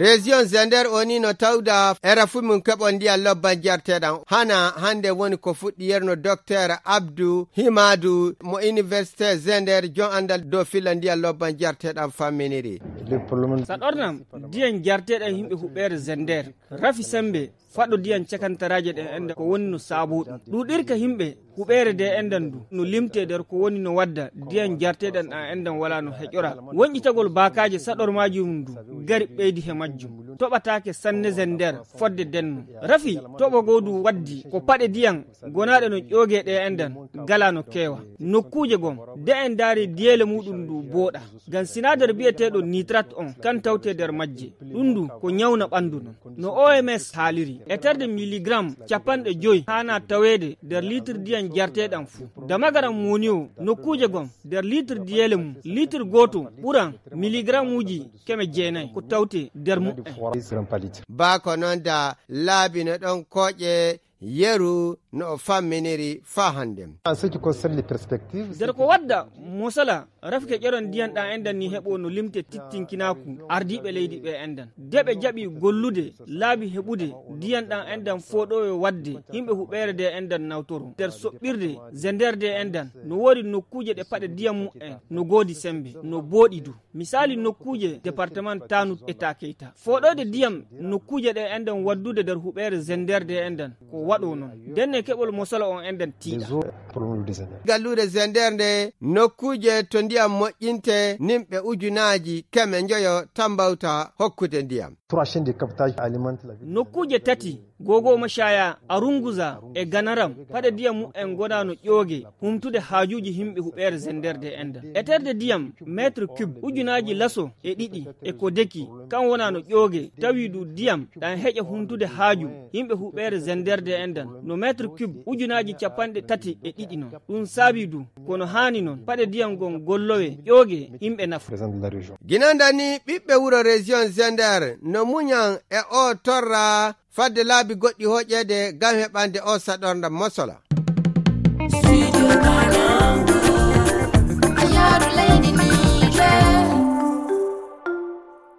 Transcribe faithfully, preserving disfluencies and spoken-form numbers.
Région Zender o ni no tawda era fu mum keɓon ndiyan lobban jarteɗan. Hana hande woni ko fuɗɗi yerno Docteur Abdou Himadou mo Université Zender, jon andal dow filla ndiyan lobban jarteɗan famminiri. Sa ɗornam ndiyan jarteɗan yimɓe huɓeere Zender. Rafi sembe faɗo ndiyan cakantaraaje ɗen enɗan ko woni no saaboo ɗum. Ɗuuɗirka yimɓe huɓeere de enɗan du no limtee nder ko woni no wadda ndiyan jarteɗan ɗan enɗan wala no heƴora. Wonƴitagol baakaaje saɗormaaji mum du gari ɓeydi he majjum. Toɓataake sanne Zender fodde denno. Rafi toɓo goo du waddi ko paɗe ndiyan gonaaɗe no ƴoogee ɗe enɗan gala no keewa. Nokkuuje gom de en ndaari diyeele muɗum du booɗa. Ngam sinadar biyeteeɗo nitrat on kan tawtee nder majje. Ɗum du ko ñawna ɓandu non. No O M S haaliri, eterde miligram capanɗe joy haana taweede nder liitir ndiyan jarteeɗan fuu. Damagaram moni o nokkuuje gom nder liitir diyeele mum, liitir gooto ɓuran miligramuuji keme jeenay ko tawtee nder mu'en. Baa ko non da laabi no ɗon kooƴe yeru no o famminiri faa hande. En ce qui concerne les perspectives, nder ko wadda mosala, rafke ƴeron ndiyan ɗan enɗan ni heɓo no limte tittinkinaaku ardiiɓe leydi ɓe enɗan. De ɓe jaɓi gollude laabi heɓude ndiyan ɗan enɗan fooɗowe wadde yimɓe huɓeere de enɗan nawtoro. Nder soɓɓirde Zender de enɗan no woodi nokkuuje ɗe paɗe ndiyan mu'en no goodi sembe, no booɗi du. Misaali nokkuuje departement Tanut e Takeyta. Fooɗoyde ndiyam nokkuuje ɗe enɗan waddude nder huɓeere Zender de enɗan ko waɗo non. Ndenne keɓol mosala on enɗan tiiɗa. Galluure Zender nde nokkuuje to ndiyam moƴƴinte nimɓe ujunaaji keme njoyo tambawta hokkude ndiyam. Trois chaînes de captage alimentent la ville. Nokkuuje tati Gogo Mashaya, Arunguza e Ganaram, paɗe ndiyam mu'en ngona no ƴooge, humtude haajuuji yimɓe huɓeere Zender de enɗan. Eterde ndiyam mètre cube ujunaaji laso e ɗiɗi e ko deki, kan wona no ƴooge, tawi du ndiyam ɗan heƴa humtude haaju yimɓe huɓeere Zender de enɗan, no mètre cube ujunaaji capanɗe tati e ɗiɗi non. Ɗum saabi du, kono haani non, paɗe ndiyam ngon gollowe ƴooge yimɓe nafa. Ginanda ni ɓiɓɓe wuro région Zender no muñan e o torra fadde laabi goɗɗi hoƴeede ngam heɓande o saɗornda mosola.